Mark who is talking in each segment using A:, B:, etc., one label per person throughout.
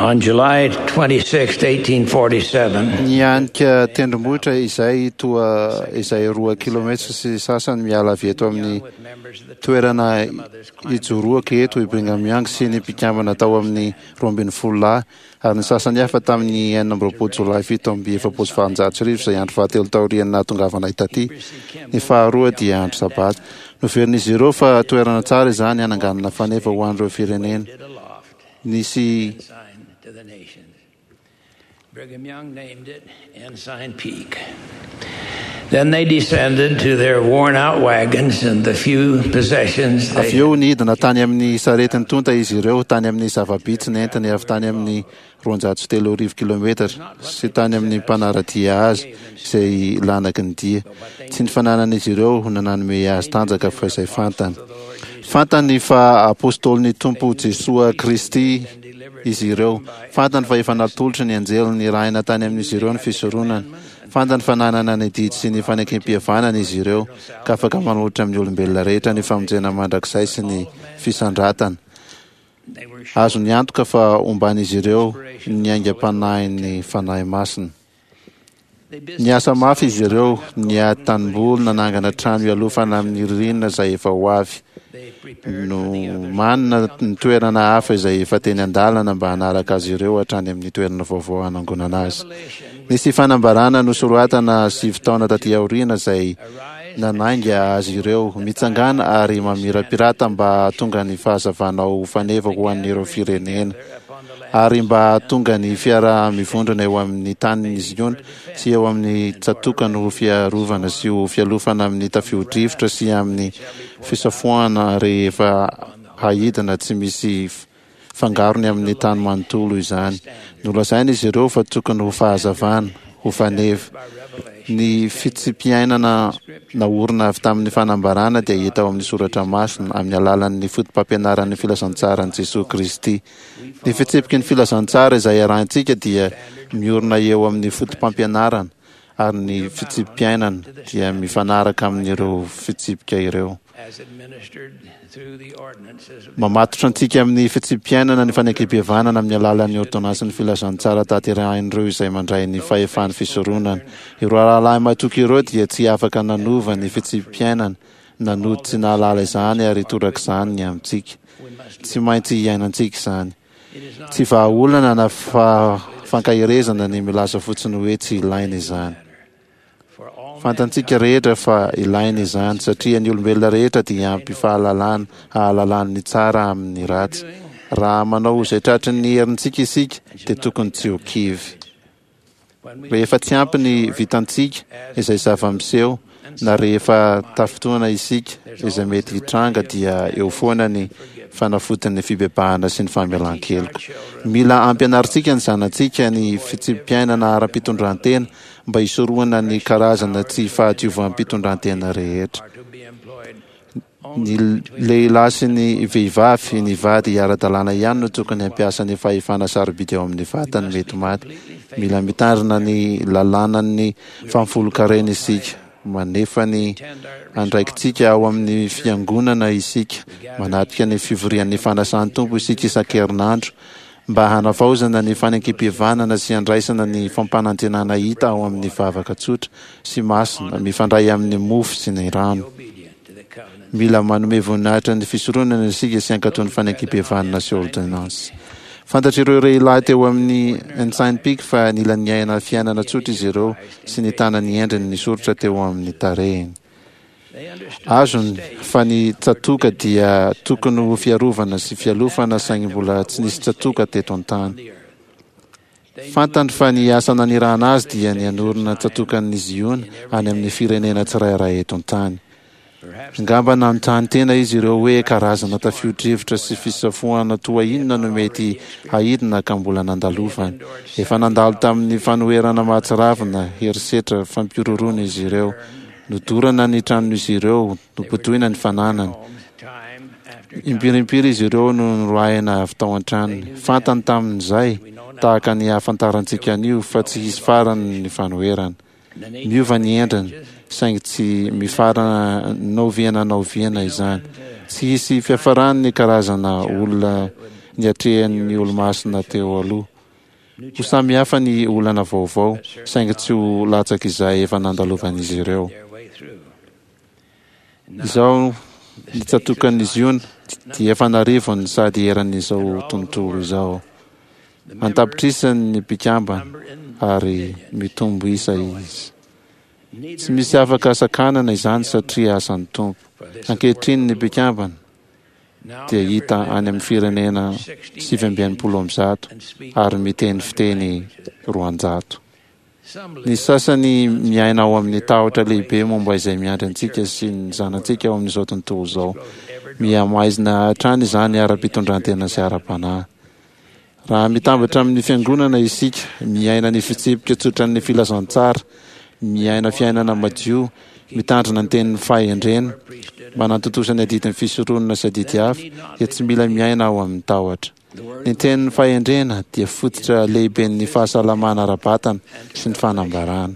A: On July 26, 1847,
B: Nianika tendrombohitra izay toa izay roa kilometatra sy sasany miala avy eto amin'ny toerana ijoroako eto i Brigham Young sy ny mpikambana tao amin'ny 12 lahy ary ny sasany hafa tamin'ny 26 jolay 1847 izay andro fahatelo taorian'ny nahatongavanay taty. Ny faharoa dia andro sabata. Noverin'izy ireo fa toerana tsara izany hananganana faneva ho an'ireo firenena. Nisy
A: to the nations. Brigham Young named it Ensign Peak. Then they descended to their worn out wagons and the few possessions they
B: Avy eo nidina tany amin'ny sarety nitonta izy ireo, tany amin'ny zava-bitsy nentiny avy tany amin'ny 3200 kilometatra sy tany amin'ny mpanara-dia azy izay lanaky ny dia. Tsy ny fananan'izy ireo no nanome azy tanjaka fa izay fantany. Fantany fa apostolin'ny Tompo Jesoa Kristy izy ireo. Fantany fa efa natolotry ny anjely nirahina tany amin'izy ireo ny fisoronana. Fantany fa nanana ny didy sy ny fanekempihavanana izy ireo, ka afaka manolotra amin'ny olombelona rehetra ny famonjena mandrakizay sy ny fisandratana. Azony antoka fa homban'izy ireo ny aingam-panahin'ny Fanahy Masina. Niasa mafy izy ireo, nihady tanimboly, nanangana trano hialofana amin'ny ririnina izay efa ho avy. Nomanina ny toerana hafa izay efa teny an-dalana mba hanaraka azy ireo hatrany amin'ny toerana vaovao hanangonana azy. Nisy fanambarana nosoratana sivy taona taty aoriana izay nanainga azy ireo, Mitsangàna ary mamirapirata mba hahatonga ny fahazavanao ho faneva ho an'ireo firenena. Ary mba hahatonga ny fiaraha-mivondrona eo amin'ny tanin'i Ziona sy eo amin'ny tsatòkany ho fiarovana sy ho fialofana amin'ny tafio-drivotra sy amin'ny fisafoahana rehefa haidina tsy misy fangarony amin'ny tany manontolo izany. Nolazaina izy ireo fa tokony ho fahazavana, ho faneva. Ny fitsipiainana naorina avy tamin'ny fanambarana dia hita ao amin'ny soratra masina, amin'ny alalan'ny fotopampianaran'ny filazantsaran'i Jesoa Kristy. Ny fitsipiky ny filazantsara izay arahintsika dia miorina eo amin'ny fotopampianarana, ary ny fitsipi-piainana dia mifanaraka amin'ireo fitsipika ireo. Mamatotra antsika amin'ny fitsipi-piainana ny fanekempihavanana amin'ny alalan'ny ôrdônansin'ny filazantsara tanterahin'ireo izay mandray ny fahefan'ny fisoronana. Ireo rahalahy matoky ireo dia tsy afaka nanova ny fitsipi-piainana na nody tsy nahalala izany ary torak'izany ny amintsika. Tsy maintsy iainantsika izany. Tsy vahaolana na fankaherezana ny milaza fotsiny hoe tsy ilaina izany. Fantantsika rehetra fa ilaina izany satria ny olombelona rehetra dia ampy fahalalana hahalalany ny tsara amin'ny ratsy. Raha manao izay tratry ny herintsika isika dia tokony tsy ho kivy. Rehefa tsy ampy ny vitantsika, izay zava-miseho, na rehefa tafintohina isika, izay mety hitranga, dia eo foana ny fanafodin'ny fibebahana sy ny famelan-keloka. Mila ampianarintsika ny zanatsika ny fitsipi-piainana ara-pitondran-tena mba hisorohana ny karazana tsy fahadiovam-pitondran-tena rehetra. Ny lehilahy sy ny vehivavy, ny vady ara-dalàna ihany no tokony hampiasa ny fahefana sarobidy ao amin'ny vatany mety maty. Mila mitandrina ny lalànan'ny fahafolonkarena isika. Manefa ny andraikitsika ao amin'ny fiangonana isika. Manatrika ny fivorian'ny fanasan'ny Tompo isika isan-kerinandro mba hanavaozana ny fanekempihavanana sy handraisana ny fampanantenana hita ao amin'ny vavaka tsotra sy masina mifandray amin'ny mofo sy ny rano. Mila manome voninahitra ny fisoronana isika sy hankatò ny fanekempihavanana sy ôrdônansy. Fantatr'ireo lehilahy teo amin'ny Ensign Peak fa nila niaina fiainana tsotra izy ireo sy nitana ny endriny nisoritra teo amin'ny tarehiny. Azony fa ny tsatoka dia tokony ho fiarovana sy fialofana saingy mbola tsy nisy tsatoka teto an-tany. Fantany fa ny asa nanirahana azy dia ny hanorina tsatokan'ny Ziona any amin'ny firenena tsirairay eto an-tany. Angamba nanontany tena izy ireo hoe karazana tafio-drivotra sy fisafoahana toa inona no mety haidina ka mbola nandalovany. Efa nandalo tamin'ny fanoherana mahatsiravina, herisetra, fampihorohoroana izy ireo. Nodorana ny tranon'izy ireo, nobodoina ny fananany. Impiry impiry izy ireo no noroahina avy tao an-tranony. Fantany tamin'izay, tahaka ny ahafantarantsika an'io, fa tsy hisy farany ny fanoherana. Miova ny endriny, saingy tsy mifarana n'oviana n'oviana izany. Tsy hisy fiafarany ny karazana olona niatrehan'ny Olomasina teo aloha. Ho samy hafa ny olana vaovao, saingy tsy ho latsak'izay efa nandalovan'izy ireo. Izao ny tsatòkan'i Ziona dia efa an'arivony sady eran'izao tontolo izao. An-tapitrisany ny mpikambana ary mitombo isa izy. Tsy misy afaka sakanana izany satria asan'ny Tompo. Ankehitriny ny mpikambana dia hita any amin'ny firenena 169 ary miteny fiteny 200. Ny sasany miaina ao amin'ny tahotra lehibe momba izay miandry antsika sy ny zanatsika ao amin'izao tontolo izao. Mihamaizina hatrany izany ara-pitondrantena sy ara-panahy. Raha mitambatra amin'ny Fiangonana isika, miaina ny fitsipika tsotran'ny filazantsara, miaina fiainana madio, mitandrina ny tenin'ny fahendrena, manatontosa ny adidin'ny fisoronana sy adidy hafa, dia tsy mila miaina ao amin'ny tahotra. Ny tenin'ny fahendrena dia fototra lehiben'ny fahasalamana ara-batana sy ny fanambarana.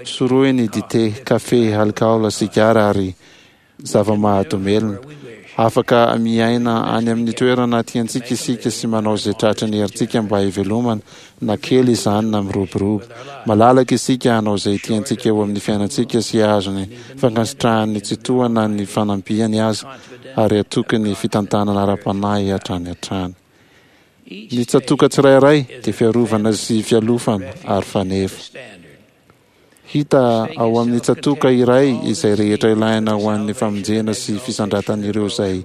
B: Sorohy ny dite, kafe, alikaola, sigara ary zava-mahadomelina. Afaka miaina any amin'ny toerana tiantsika isika sy manao izay tratry ny herintsika mba hivelomana, na kely izany na miroborobo. Malalaka isika hanao izay tiantsika eo amin'ny fiainantsika sy hahazo ny fankasitrahan'ny Tsitoha na ny fanampiany aza, ary hatoky ny fitantanana ara-panahy hatrany hatrany. Ny tsatòka tsirairay dia fiarovana sy fialofana ary faneva. Hita ao amin'ny tsatòka iray izay rehetra ilaina ho an'ny famonjena sy fisandratan'ireo izay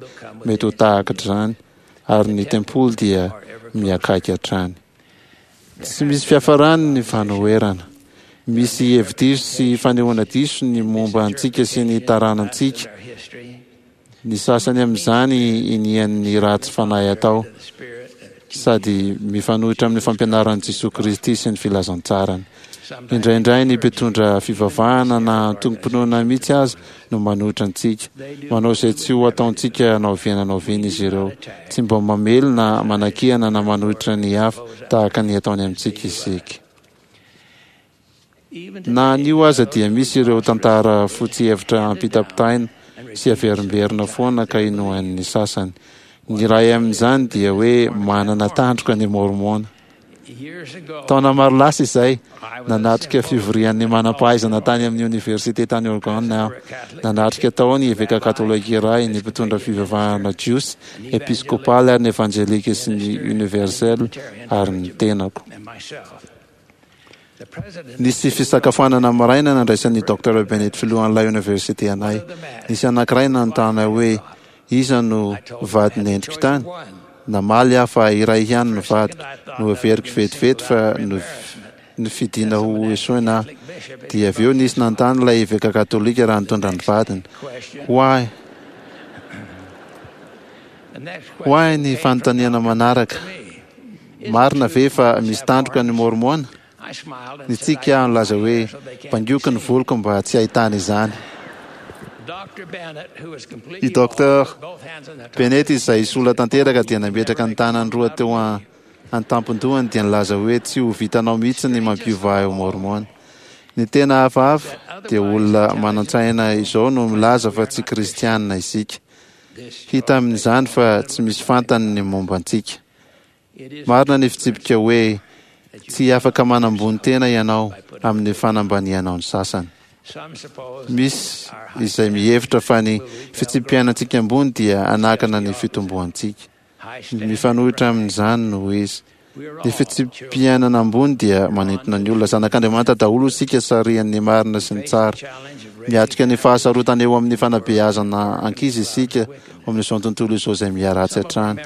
B: mety ho tahak'izany, ary ny tempoly dia miakaiky hatrany. Tsy misy fiafarany ny fanoherana. Misy hevi-diso sy fanehoana diso ny momba antsika sy ny taranantsika. Ny sasany amin'izany inian'ny ratsy fanahy atao, sady mifanohitra amin'ny fampianaran'i Jesoa Kristy sy ny filazantsarany. Indraindray ny mpitondra fivavahana na antokom-pinoana mihitsy aza no manohitra antsika. Manao izay tsy ho ataontsika na oviana na oviana izy ireo. Tsy mba mamely na manakiana na manohitra ny hafa tahaka ny ataony amintsika isika. Na anio aza dia misy ireo tantara fotsy hevitra ampitapitaina sy averimberina foana ka inoan'ny sasany. Ny iray amin'izany dia hoe manana tandroka ny Môrmôna. Taona maro lasa izay, nanatrika fivorian'ny manam-pahaizana tany amin'ny oniversite tany Oregon aho. Nanatrika tao ny eveka katolika iray, ny mpitondra fivavahana jiosy, episkopaly ary ny evanjelika sy ny universel ary ny tenako. Nisy fisakafoanana maraina nandraisan'ny Docteur Bennett filohan'ilay oniversite anay. Nisy anankiray nanontany ahy hoe iza no vadin'ny endriko tany. Namaly aho fa iray ihany no vadiko. Noheveriko vetivety fa nofidina ho esoina aho. Dia avy eo nisy nanontany ilay eveka katolika raha nitondra ny vadiny. Ho ahy, ho ahy ny fanontaniana manaraka. Marina ve fa misy tandroka ny Môrmôna? Nitsiky aho nilaza hoe, Bangoiko ny voloko mba tsy hahitana izany. I Docteur Bennett izay sola tanteraka dia nametraka ny tanany roa teo an-tampon-dohany dia nilaza hoe, Tsy ho vitanao mihitsy ny mampiova ahy ho Môrmôna. Ny tena hafahafa dia olona manan-tsaina izao no milaza fa tsy kristiana isika. Hita amin'izany fa tsy misy fantany ny momba antsika. Marina ny fitsipika hoe tsy afaka manambony tena ianao amin'ny fanambanianao ny sasany. Misy izay mihevitra fa ny fitsipi-piainantsika ambony dia hanakana ny fitomboantsika. Mifanohitra amin'izany no izy. Ny fitsipi-piainana ambony dia manintona ny olona. Zanak'Andriamanitra daholo isika sarihan'ny marina sy ny tsara. Miatrika ny fahasarotana eo amin'ny fanabeazana ankizy isika ao amin'izao tontolo izao izay miharatsy hatrany.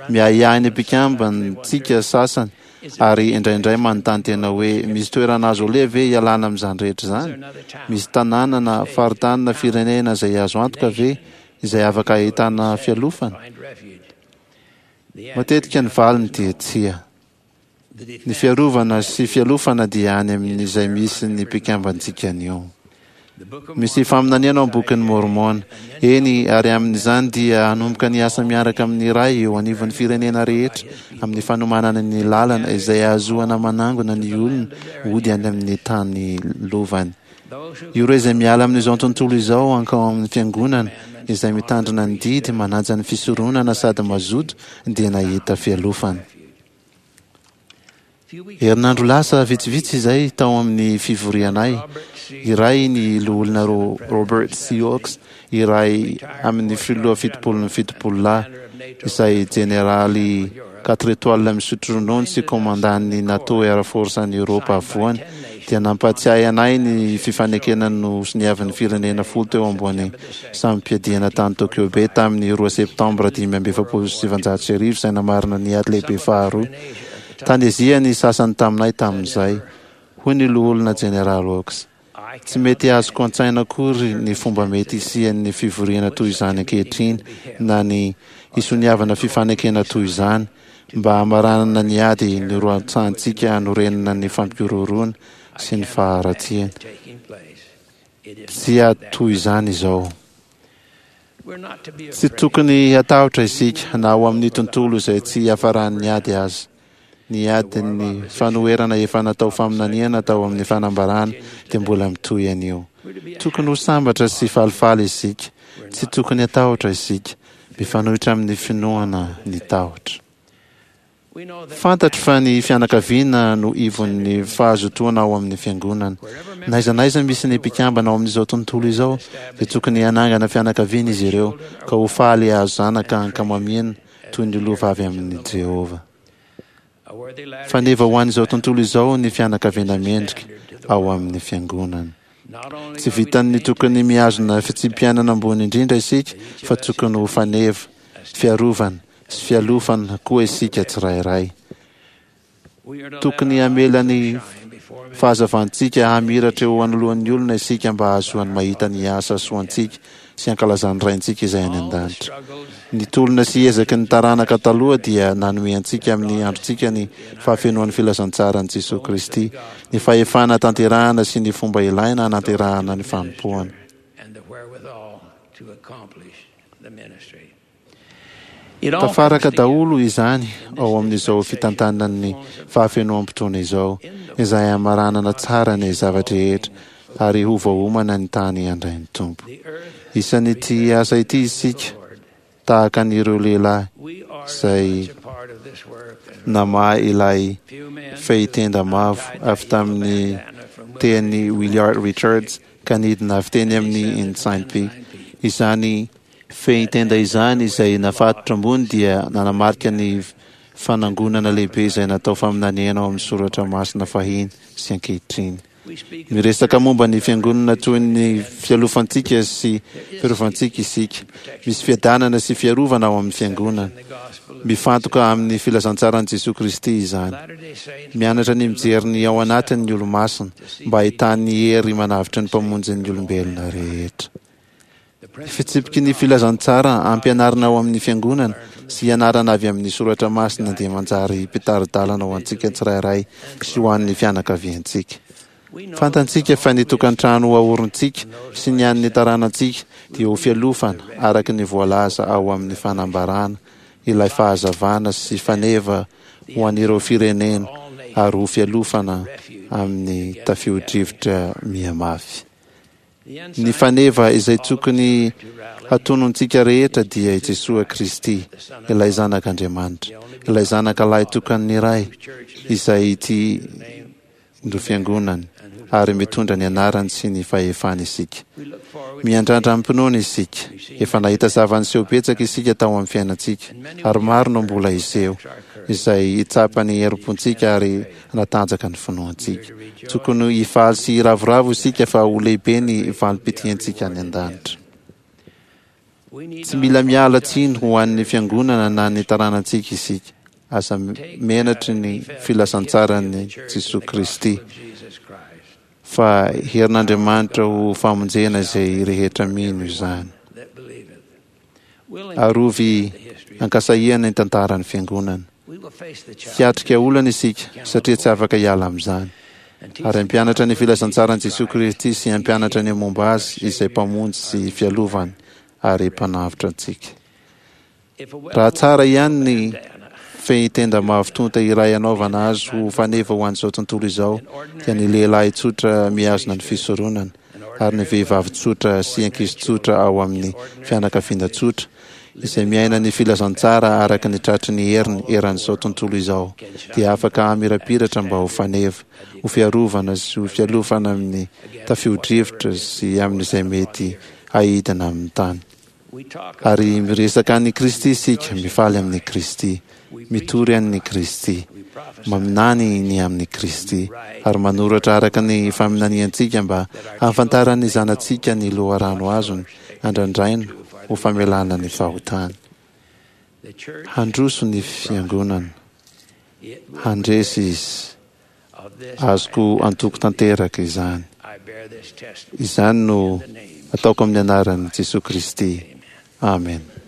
B: Miahiahy ny mpikambantsika sasany ary indraindray manontany tena hoe, 'Misy toerana azo aleha ve hialana amin'izany rehetra izany? Misy tanàna na faritany na firenena izay azo antoka ve izay afaka ahitana fialofana? Matetika ny valiny dia tsia. Ny fiarovana sy fialofana dia any amin'izay misy ny mpikambantsika anio. Misy faminaniana ao amin'ny Bokin'i Môrmôna. Eny, ary amin'izany dia hanomboka ny asa miaraka amin'ny Ray eo anivon'ny firenena rehetra amin'ny fanomanana ny lalana izay hahazoana manangona ny olona hody any amin'ny tany lovany. Ireo izay miala amin'izao tontolo izao hankao amin'ny Fiangonana, izay mitandrina ny didy, manaja ny fisoronana sady mazoto dia nahita fialofana. Herinandro lasa vitsivitsy izay, tao amin'ny fivorianay iray, ny Loholona Robert C. Oaks, iray amin'ny Filoha Fitopolon'ny Fitopololahy, izay Jeneraly Quatre Etoiles misotro ronono sy Komandan'ny NATO Air Force any Eoropa Afovoany, dia nampahatsiahy anay ny fifanekena nosoniavin'ny firenena folo teo ambony samim-piadiana tany Tokyo Bay tamin'ny roa Septambra 1945 izay namarana ny Ady Lehibe Faharoa. Tany Azia ny sasany taminay tamin'izay, hoy ny Loholona Jeneraly Oaks. Tsy mety azoko an-tsaina akory ny fomba mety hisian'ny fivoriana toy izany ankehitriny na ny hisoniavana fifanekena toy izany mba hamaranana ny ady nirotsahantsika hanorenana ny fampihorohoroana sy ny faharatsiana. Tsy ady toy izany izao. Tsy tokony hatahotra isika na ao amin'ny tontolo izay tsy hiafaran'ny ady aza. Ny adin'ny fanoherana efa natao faminaniana tao amin'ny fanambarana dia mbola mitohy anio. Tokony ho sambatra sy falifaly isika. Tsy tokony hatahotra isika. Mifanohitra amin'ny finoana ny tahotra. Fantatro fa ny fianakaviana no ivon'ny fahazotoana ao amin'ny Fiangonana. N'aiza n'aiza misy ny mpikambana ao amin'izao tontolo izao, dia tokony hanangana fianakaviana izy ireo, ka ho faly hahazo zanaka ankamamiana toy ny lova avy amin'i Jehovah. Faneva ho an'izao tontolo izao ny fianakaviana mendrika ao amin'ny Fiangonana. Tsy vitan'ny tokony mihazona fitsipi-piainana ambony indrindra isika fa tokony ho faneva, fiarovana sy fialofana koa isika tsirairay. Tokony hamela ny fahazavantsika hamiratra eo anoloan'ny olona isika mba hahazoany mahita ny asa soantsika sy hankalazan'ny Raintsika izay any an-danitra. Ny tolona sy ezaky ny taranaka taloha dia nanome antsika amin'ny androntsika ny fahafenoan'ny filazantsaran'i Jesoa Kristy, ny fahefana tanterahana sy ny fomba ilaina hananterahana ny fanompoana. Tafaraka daholo izany ao amin'izao fitantanan'ny fahafenoam-potoana izao, izay hamaranana tsara ny zava-drehetra ary ho voaomana ny tany handray ny Tompo. Isan'ity asa ity isika, tahaka an'ireo lehilahy izay namaha ilay fehitenda mavo avy tamin'ny tehin'i Williard Richards ka nidina avy teny amin'ny Ensign Peak. Izany Fehintenda izany izay nafatotra ambony dia nanamarika ny fanangonana lehibe izay natao faminaniana ao amin'ny soratra masina fahiny sy ankehitriny. Miresaka momba ny fiangonana toy ny fialofantsika sy fiarovantsika isika. Misy fiadanana sy fiarovana ao amin'ny fiangonana. Mifantoka amin'ny filazantsaran'i Jesoa Kristy izany. Mianatra ny mijery ny ao anatiny ny Olomasina mba hahitany ny hery manavotra ny Mpamonjin'ny olombelona rehetra. Fitsipiky ny filazantsara ampianarina ao amin'ny Fiangonana sy ianarana avy amin'ny soratra masina dia manjary mpitari-dalana ho antsika tsirairay sy ho an'ny fianakaviantsika. Fantantsika fa ny tokantrano aorintsika sy ny an'ny taranantsika dia ho fialofana araka ny voalaza ao amin'ny fanambarana ilay fahazavana sy faneva ho an'ireo firenena ary ho fialofana amin'ny tafio-drivotra mihamafy. Ny faneva izay tokony hatonontsika rehetra dia i Jesoa Kristy, ilay Zanak' Andriamanitra, ilay Zanaka Lahitokan'ny Ray, izay ity no Fiangonany, ary mitondra ny anarany sy ny fahefany isika. Miandrandra amim-pinoana isika. Efa nahita zava-niseho betsaka isika tao amin'ny fiainantsika, ary maro no mbola hiseho, izay hitsapa ny herim-pontsika ary hanatanjaka ny finoantsika. Tokony hifaly sy hiravoravo isika fa ho lehibe ny valim-pitiantsika any an-danitra. Tsy mila miala tsiny ho an'ny fiangonana na ny taranantsika isika. Aza menatry ny filazantsaran'i Jesoa Kristy, fa herin'Andriamanitra ho famonjena izay rehetra mino izany. Arovy ankasahiana ny tantaran'ny Fiangonana. Hiatrika olana isika satria tsy afaka hiala amin'izany. Ary hampianatra ny filazantsaran'i Jesoa Kristy sy hampianatra ny momba Azy izay Mpamonjy sy Fialovany ary Mpanavotra antsika. Raha tsara ihany ny fehintenda mavo tonta iray hanaovana azy ho faneva ho an'izao tontolo izao dia ny lehilahy tsotra mihazona ny fisoronana ary ny vehivavy tsotra sy ankizy tsotra ao amin'ny fianakaviana tsotra. izay miaina ny filazantsara araka ny tratry ny heriny eran'izao tontolo izao, dia afaka hamirapiratra mba ho faneva, ho fiarovana sy ho fialofana amin'ny tafio-drivotra sy amin'izay mety haidina amin'ny tany. Ary miresaka an'i Kristy isika, mifaly amin'i Kristy, mitory an'i Kristy, maminany ny amin'i Kristy, ary manoratra araka ny faminaniantsika mba hahafantaran'ny zanatsika ny loharano azony andrandraina ho famelana ny fahotany. Handroso ny Fiangonana. Handresy izy. Azoko antoko tanteraka izany. Izany no ataoko amin'ny anaran'i Jesoa Kristy. Amena.